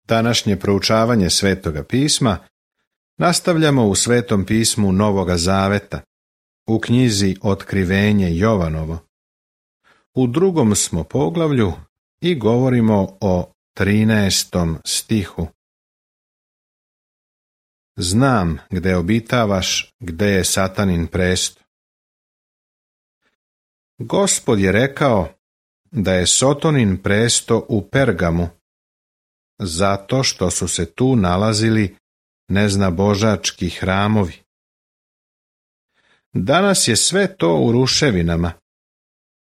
Današnje proučavanje Svetoga pisma nastavljamo u Svetom pismu Novoga Zaveta, u knjizi Otkrivenje Jovanovo. U 2. smo poglavlju i govorimo o 13. stihu. Znam gde obitavaš, gde je Satanin presto. Gospod je rekao da je Sotonin presto u Pergamu, zato što su se tu nalazili neznabožački hramovi. Danas je sve to u ruševinama,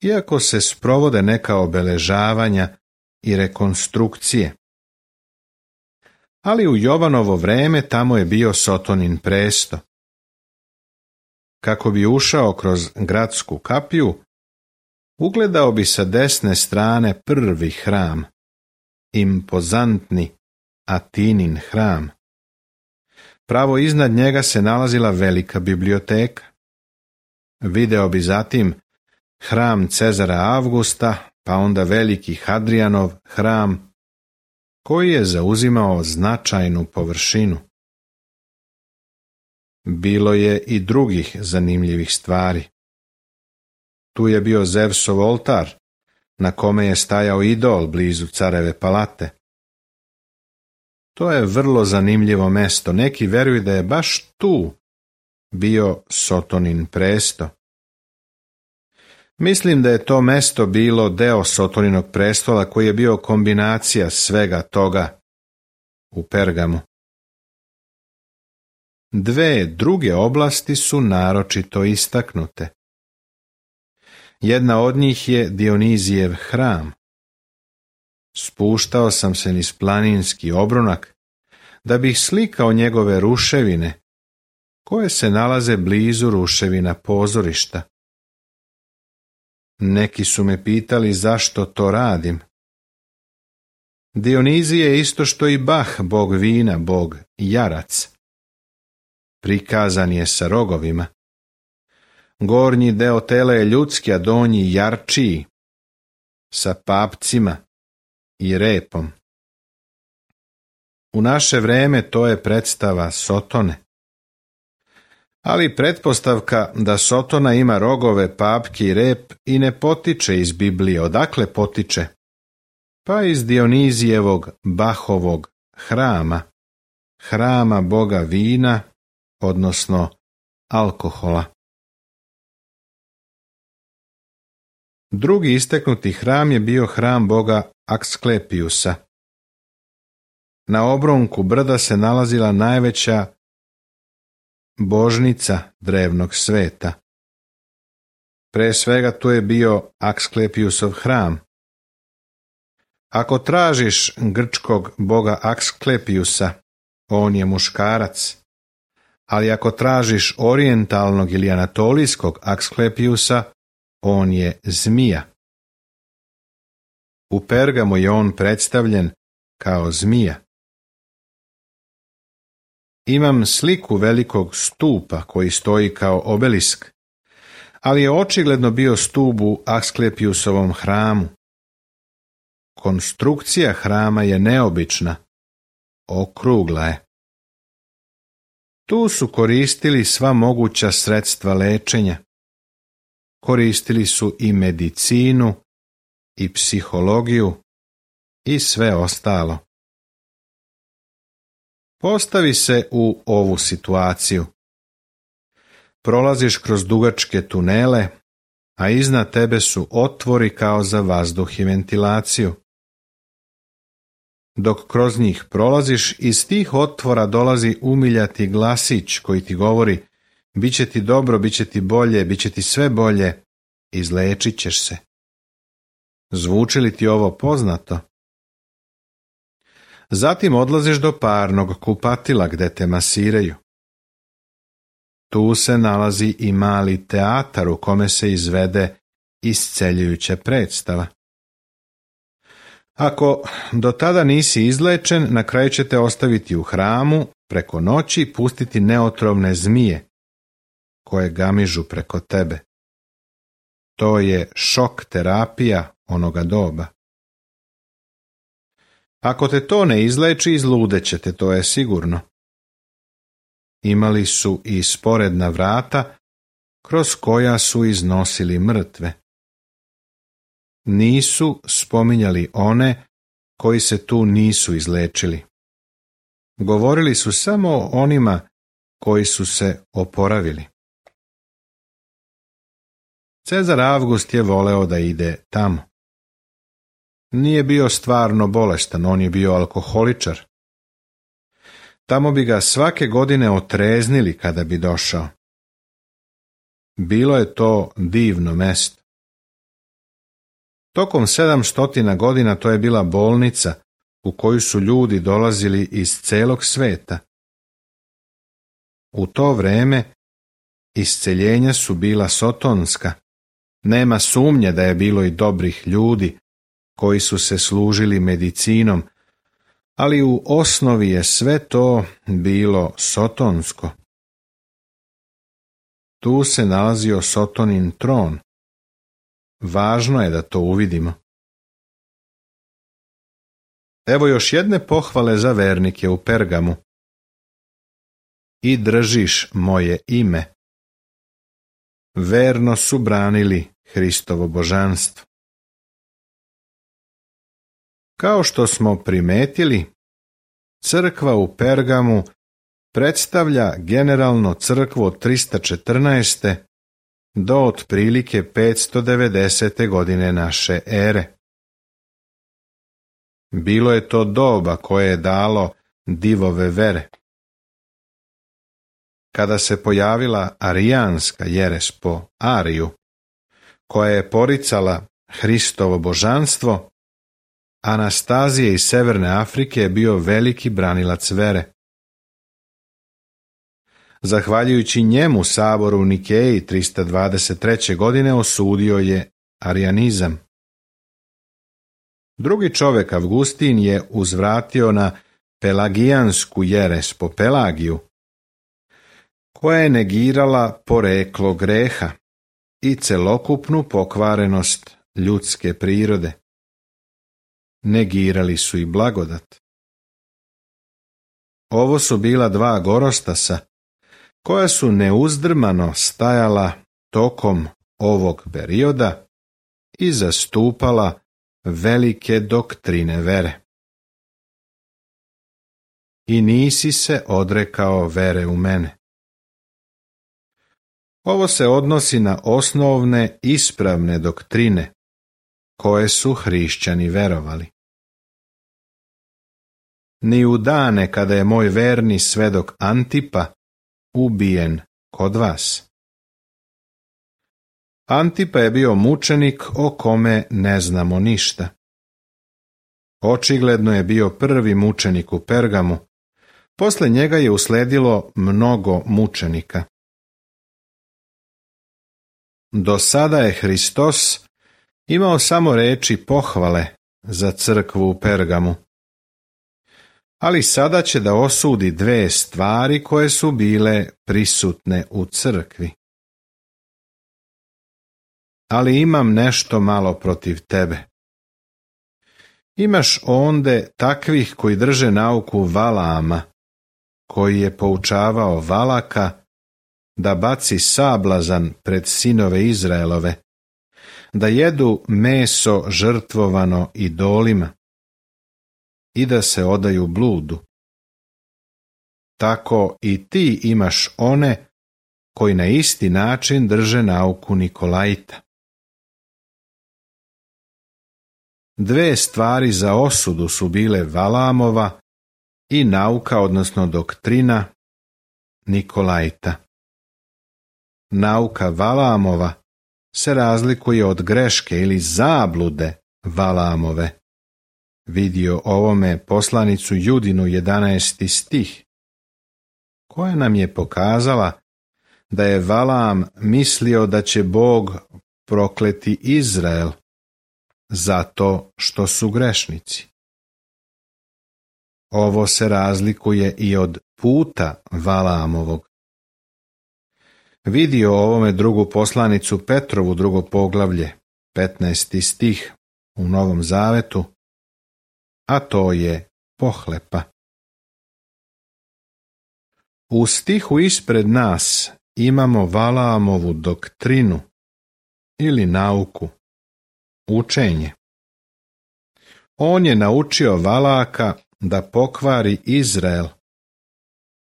iako se sprovode neka obeležavanja i rekonstrukcije. Ali u Jovanovo vreme tamo je bio Sotonin presto. Kako bi ušao kroz gradsku kapiju, ugledao bi sa desne strane prvi hram, impozantni Atinin hram. Pravo iznad njega se nalazila velika biblioteka. Video bi zatim hram Cezara Avgusta, pa onda veliki Hadrijanov hram, koji je zauzimao značajnu površinu. Bilo je i drugih zanimljivih stvari. Tu je bio Zevsov oltar, na kome je stajao idol blizu careve palate. To je vrlo zanimljivo mesto. Neki veruju da je baš tu bio Sotonin presto. Mislim da je to mesto bilo deo Sotoninog prestola koji je bio kombinacija svega toga u Pergamu. 2 druge oblasti su naročito istaknute. Jedna od njih je Dionizijev hram. Spuštao sam se niz planinski obronak da bih slikao njegove ruševine, koje se nalaze blizu ruševina pozorišta. Neki su me pitali zašto to radim. Dionizije je isto što i Bah, bog vina, bog jarac. Prikazan je sa rogovima. Gornji deo tela je ljudski, a donji jarčiji, sa papcima i repom. U naše vreme to je predstava Sotone. Ali pretpostavka da Sotona ima rogove, papke i rep i ne potiče iz Biblije. Odakle potiče? Pa iz Dionizijevog Bahovog hrama, hrama boga vina, odnosno alkohola. Drugi istaknuti hram je bio hram boga Aksklepijusa. Na obronku brda se nalazila najveća božnica drevnog sveta. Pre svega tu je bio Aksklepijusov hram. Ako tražiš grčkog boga Aksklepijusa, on je muškarac, ali ako tražiš orijentalnog ili anatolijskog Aksklepijusa, on je zmija. U Pergamu je on predstavljen kao zmija. Imam sliku velikog stupa koji stoji kao obelisk, ali je očigledno bio stup u Asklepijusovom hramu. Konstrukcija hrama je neobična, okrugla je. Tu su koristili sva moguća sredstva lečenja. Koristili su i medicinu, i psihologiju, i sve ostalo. Postavi se u ovu situaciju. Prolaziš kroz dugačke tunele, a iznad tebe su otvori kao za vazduh i ventilaciju. Dok kroz njih prolaziš, iz tih otvora dolazi umiljati glasić koji ti govori: biće ti dobro, biće ti bolje, biće ti sve bolje, izlečit ćeš se. Zvuči li ti ovo poznato? Zatim odlaziš do parnog kupatila gde te masiraju. Tu se nalazi i mali teatar u kome se izvede isceljujuća predstava. Ako do tada nisi izlečen, na kraju će te ostaviti u hramu, preko noći i pustiti neotrovne zmije, koje gamižu preko tebe. To je šok terapija onoga doba. Ako te to ne izleči, izludećete, to je sigurno. Imali su i sporedna vrata, kroz koja su iznosili mrtve. Nisu spominjali one koji se tu nisu izlečili. Govorili su samo o onima koji su se oporavili. Cezar Avgust je voleo da ide tamo. Nije bio stvarno bolestan, on je bio alkoholičar. Tamo bi ga svake godine otreznili kada bi došao. Bilo je to divno mesto. Tokom 700 godina to je bila bolnica u koju su ljudi dolazili iz celog sveta. U to vreme isceljenja su bila sotonska. Nema sumnje da je bilo i dobrih ljudi koji su se služili medicinom, ali u osnovi je sve to bilo sotonsko. Tu se nalazio Sotonin tron. Važno je da to uvidimo. Evo još jedne pohvale za vernike u Pergamu. I držiš moje ime. Verno su branili Hristovo božanstvo. Kao što smo primetili, crkva u Pergamu predstavlja generalno crkvu od 314. do otprilike 590. godine naše ere. Bilo je to doba koje je dalo divove vere. Kada se pojavila arijanska jeres po Ariju, koja je poricala Hristovo božanstvo, Anastazije iz Severne Afrike je bio veliki branilac vere. Zahvaljujući njemu sabor u Nikeji 323. godine osudio je arijanizam. Drugi čovjek, Avgustin, je uzvratio na pelagijansku jeres po Pelagiju, koja je negirala poreklo greha i celokupnu pokvarenost ljudske prirode. Negirali su i blagodat. Ovo su bila dva gorostasa koja su neuzdrmano stajala tokom ovog perioda i zastupala velike doktrine vere. I nisi se odrekao vere u mene. Ovo se odnosi na osnovne ispravne doktrine koje su hrišćani verovali. Ni u dane kada je moj verni svedok Antipa ubijen kod vas. Antipa je bio mučenik o kome ne znamo ništa. Očigledno je bio prvi mučenik u Pergamu. Posle njega je usledilo mnogo mučenika. Do sada je Hristos imao samo reči pohvale za crkvu u Pergamu. Ali sada će da osudi dve stvari koje su bile prisutne u crkvi. Ali imam nešto malo protiv tebe. Imaš onde takvih koji drže nauku Valaama, koji je poučavao Valaka da baci sablazan pred sinove Izraelove, da jedu meso žrtvovano idolima i da se odaju bludu. Tako i ti imaš one koji na isti način drže nauku Nikolajta. Dve stvari za osudu su bile Valaamova i nauka, odnosno doktrina Nikolajta. Nauka Valaamova se razlikuje od greške ili zablude Valaamove. Vidio ovome poslanicu Judinu 11. stih, koja nam je pokazala da je Valaam mislio da će Bog prokleti Izrael zato što su grešnici. Ovo se razlikuje i od puta Valaamovog. Vidio ovome drugu poslanicu Petrovu, drugo poglavlje, 15. stih u Novom Zavetu, a to je pohlepa. U stihu ispred nas imamo Valaamovu doktrinu ili nauku, učenje. On je naučio Valaka da pokvari Izrael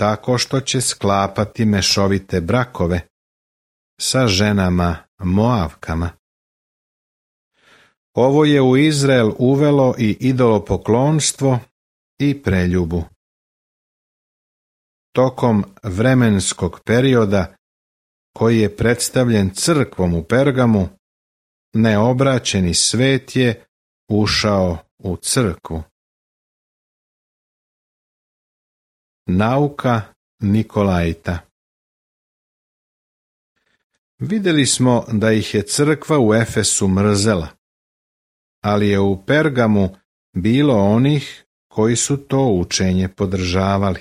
tako što će sklapati mešovite brakove sa ženama Moavkama. Ovo je u Izrael uvelo i idolopoklonstvo i preljubu. Tokom vremenskog perioda koji je predstavljen crkvom u Pergamu, neobraćeni svet je ušao u crkvu. Nauka Nikolajta. Vidjeli smo da ih je crkva u Efesu mrzela, ali je u Pergamu bilo onih koji su to učenje podržavali.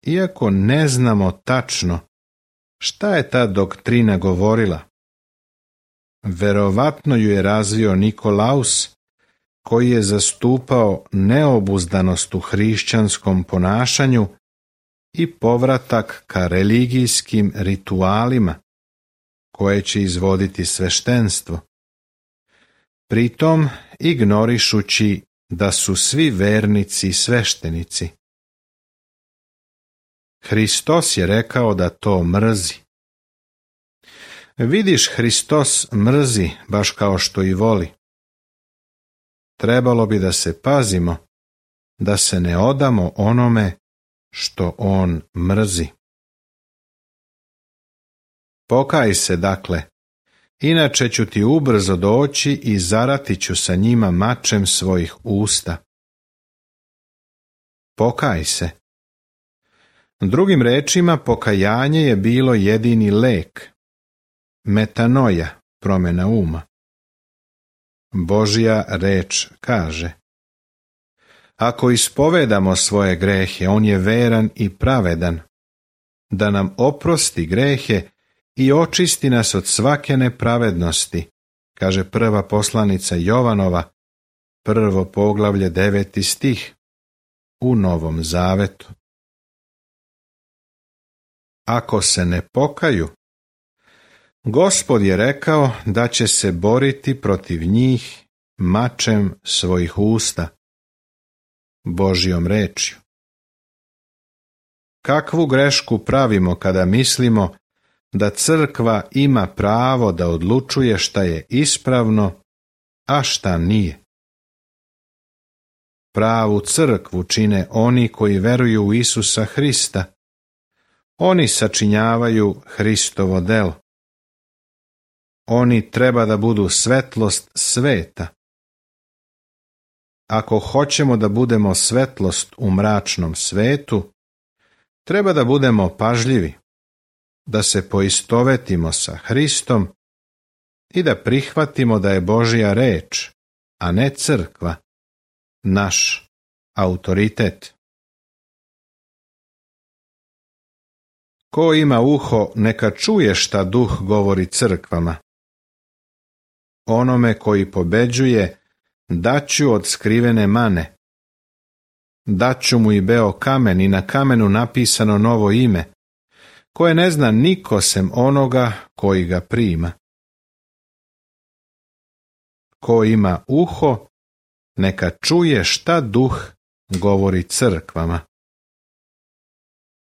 Iako ne znamo tačno šta je ta doktrina govorila, verovatno ju je razvio Nikolaus, koji je zastupao neobuzdanost u hrišćanskom ponašanju i povratak ka religijskim ritualima koje će izvoditi sveštenstvo, pritom ignorišući da su svi vernici sveštenici. Hristos je rekao da to mrzi. Vidiš, Hristos mrzi baš kao što i voli. Trebalo bi da se pazimo, da se ne odamo onome što on mrzi. Pokaj se, dakle, inače ću ti ubrzo doći i zarati ću sa njima mačem svojih usta. Pokaj se. Drugim rečima, pokajanje je bilo jedini lek, metanoja, promjena uma. Božja reč kaže: ako ispovedamo svoje grehe, on je veran i pravedan, da nam oprosti grehe i očisti nas od svake nepravednosti, kaže prva poslanica Jovanova, 1. poglavlje 9. stih, u Novom Zavetu. Ako se ne pokaju, Gospod je rekao da će se boriti protiv njih mačem svojih usta, Božjom rečju. Kakvu grešku pravimo kada mislimo da crkva ima pravo da odlučuje šta je ispravno, a šta nije? Pravu crkvu čine oni koji veruju u Isusa Hrista. Oni sačinjavaju Hristovo delo. Oni treba da budu svetlost sveta. Ako hoćemo da budemo svetlost u mračnom svetu, treba da budemo pažljivi, da se poistovetimo sa Hristom i da prihvatimo da je Božja reč, a ne crkva, naš autoritet. Ko ima uho, neka čuje šta Duh govori crkvama. Onome koji pobeđuje, daću od skrivene mane. Daću mu i beo kamen i na kamenu napisano novo ime, koje ne zna niko sem onoga koji ga prima. Ko ima uho, neka čuje šta Duh govori crkvama.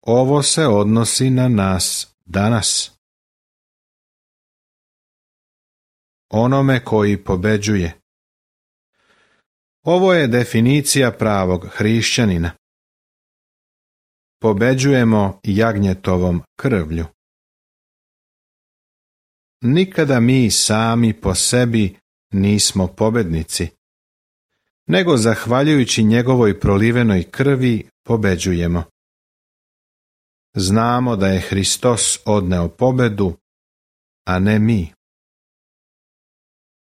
Ovo se odnosi na nas danas. Onome koji pobeđuje. Ovo je definicija pravog hrišćanina. Pobeđujemo jagnjetovom krvlju. Nikada mi sami po sebi nismo pobednici, nego zahvaljujući njegovoj prolivenoj krvi pobeđujemo. Znamo da je Hristos odneo pobedu, a ne mi.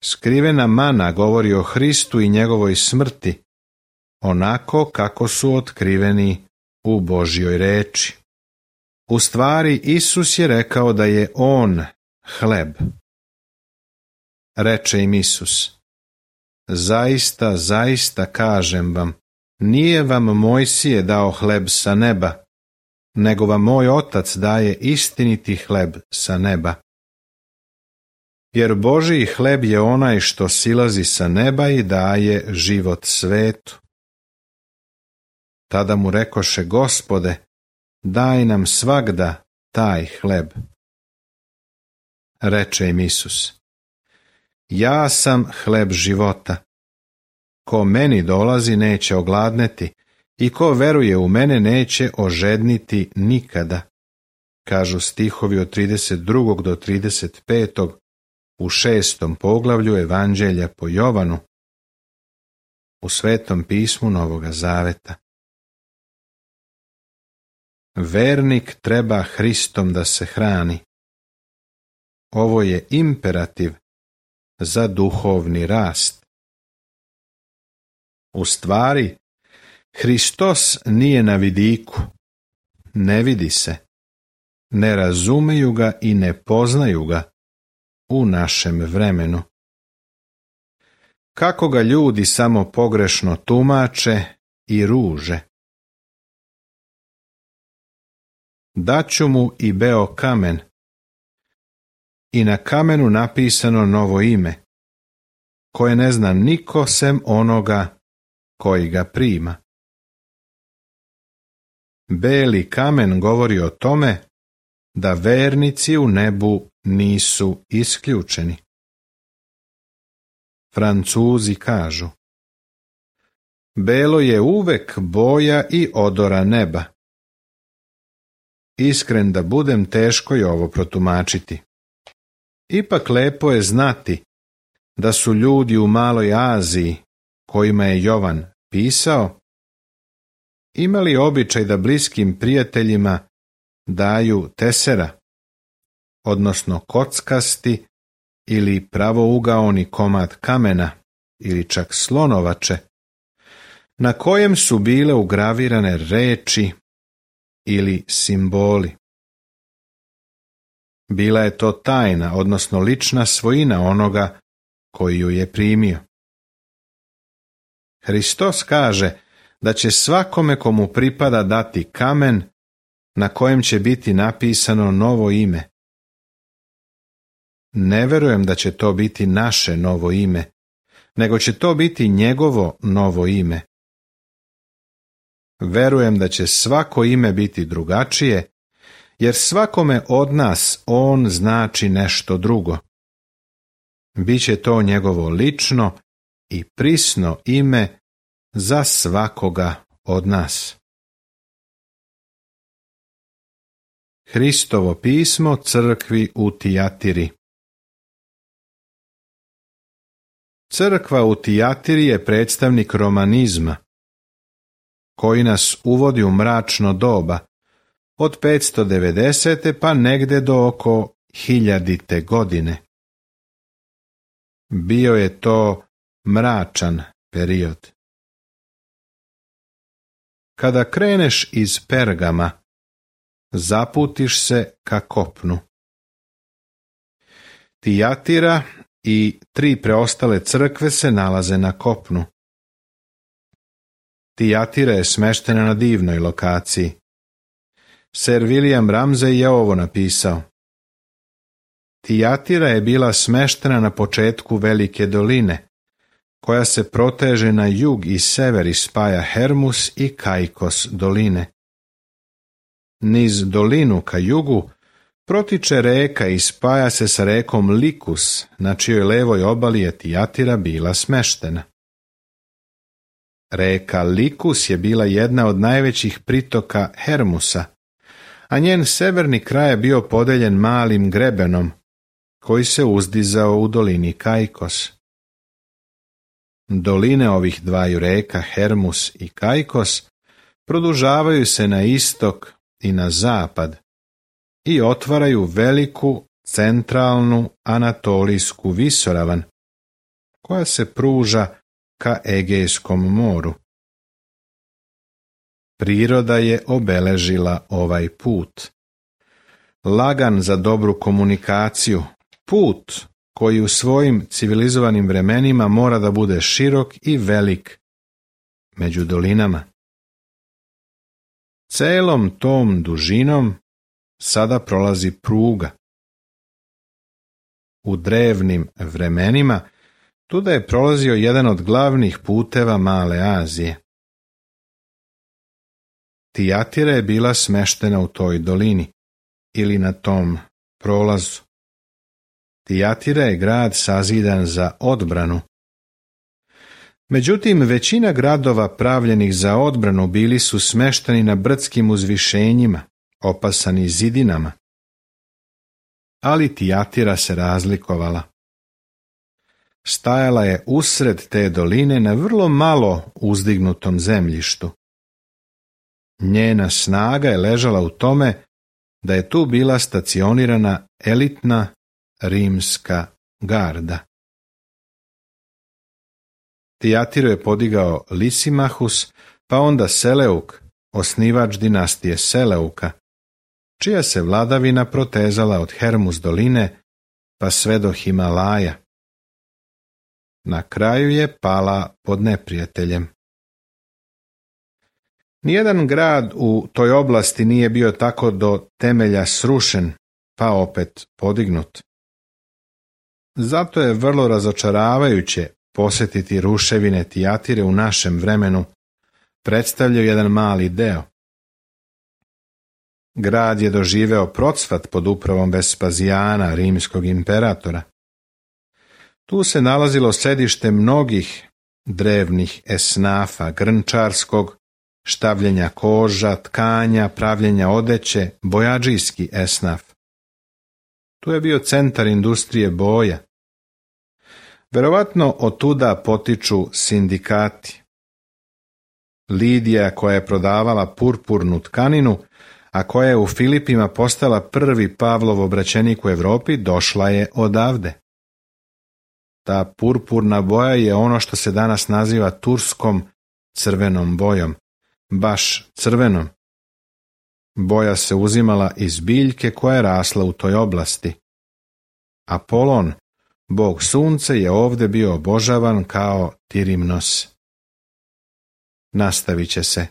Skrivena mana govori o Hristu i njegovoj smrti, onako kako su otkriveni u Božjoj reči. U stvari, Isus je rekao da je on hleb. Reče im Isus: zaista, zaista kažem vam, nije vam Mojsije dao hleb sa neba, nego vam moj Otac daje istiniti hleb sa neba. Jer Božji hleb je onaj što silazi sa neba i daje život svetu. Tada mu rekoše: Gospode, daj nam svagda taj hleb. Reče im Isus: Ja sam hleb života. Ko meni dolazi neće ogladneti i ko veruje u mene neće ožedniti nikada. Kažu stihovi od 32. do 35. u 6. poglavlju Evanđelja po Jovanu u Svetom pismu Novoga Zaveta. Vernik treba Hristom da se hrani. Ovo je imperativ za duhovni rast. U stvari, Hristos nije na vidiku, ne vidi se, ne razumeju ga i ne poznaju ga u našem vremenu. Kako ga ljudi samo pogrešno tumače i ruže. Daću mu i beo kamen, i na kamenu napisano novo ime, koje ne zna niko sem onoga koji ga prima. Beli kamen govori o tome da vernici u nebu nisu isključeni. Francuzi kažu: belo je uvek boja i odora neba. Iskren da budem, teško je ovo protumačiti. Ipak lepo je znati da su ljudi u Maloj Aziji, kojima je Jovan pisao, imali običaj da bliskim prijateljima daju tesera, odnosno kockasti ili pravougaoni komad kamena ili čak slonovače, na kojem su bile ugravirane reči ili simboli. Bila je to tajna, odnosno lična svojina onoga koji ju je primio. Hristos kaže da će svakome komu pripada dati kamen na kojem će biti napisano novo ime. Ne verujem da će to biti naše novo ime, nego će to biti njegovo novo ime. Verujem da će svako ime biti drugačije, jer svakome od nas on znači nešto drugo. Biće to njegovo lično i prisno ime za svakoga od nas. Hristovo pismo crkvi u Tijatiri. Crkva u Tijatiri je predstavnik romanizma, koji nas uvodi u mračno doba, od 590. pa negde do oko 1000. godine. Bio je to mračan period. Kada kreneš iz Pergama, zaputiš se ka kopnu. Tijatira i 3 preostale crkve se nalaze na kopnu. Tijatira je smeštena na divnoj lokaciji. Sir William Ramsay je ovo napisao: Tijatira je bila smeštena na početku velike doline, koja se proteže na jug i sever i spaja Hermus i Kaikos doline. Niz dolinu ka jugu protiče reka i spaja se sa rekom Likus, na čijoj levoj obali je Tijatira bila smeštena. Reka Likus je bila jedna od najvećih pritoka Hermusa, a njen severni kraj je bio podeljen malim grebenom, koji se uzdizao u dolini Kaikos. Doline ovih dvaju reka, Hermus i Kaikos, produžavaju se na istok i na zapad i otvaraju veliku centralnu anatolijsku visoravan, koja se pruža ka Egejskom moru. Priroda je obeležila ovaj put. Lagan za dobru komunikaciju, put koji u svojim civilizovanim vremenima mora da bude širok i velik među dolinama. Celom tom dužinom sada prolazi pruga. U drevnim vremenima tuda je prolazio jedan od glavnih puteva Male Azije. Tijatira je bila smeštena u toj dolini ili na tom prolazu. Tijatira je grad sazidan za odbranu. Međutim, većina gradova pravljenih za odbranu bili su smešteni na brdskim uzvišenjima, opasani zidinama. Ali Tijatira se razlikovala. Stajala je usred te doline na vrlo malo uzdignutom zemljištu. Njena snaga je ležala u tome da je tu bila stacionirana elitna rimska garda. Tijatiru je podigao Lisimahus, pa onda Seleuk, osnivač dinastije Seleuka, čija se vladavina protezala od Hermus doline pa sve do Himalaja. Na kraju je pala pod neprijateljem. Nijedan grad u toj oblasti nije bio tako do temelja srušen, pa opet podignut. Zato je vrlo razočaravajuće posjetiti ruševine Tijatire u našem vremenu, predstavljaju jedan mali deo. Grad je doživeo procvat pod upravom Vespazijana, rimskog imperatora. Tu se nalazilo sedište mnogih drevnih esnafa, grnčarskog, štavljenja koža, tkanja, pravljenja odeće, bojadžijski esnaf. Tu je bio centar industrije boja. Verovatno otuda potiču sindikati. Lidija, koja je prodavala purpurnu tkaninu, a koja je u Filipima postala prvi Pavlov obraćenik u Evropi, došla je odavde. Ta purpurna boja je ono što se danas naziva turskom crvenom bojom, baš crvenom. Boja se uzimala iz biljke koja je rasla u toj oblasti. Apolon, bog sunca, je ovde bio obožavan kao Tirimnos. Nastavit će se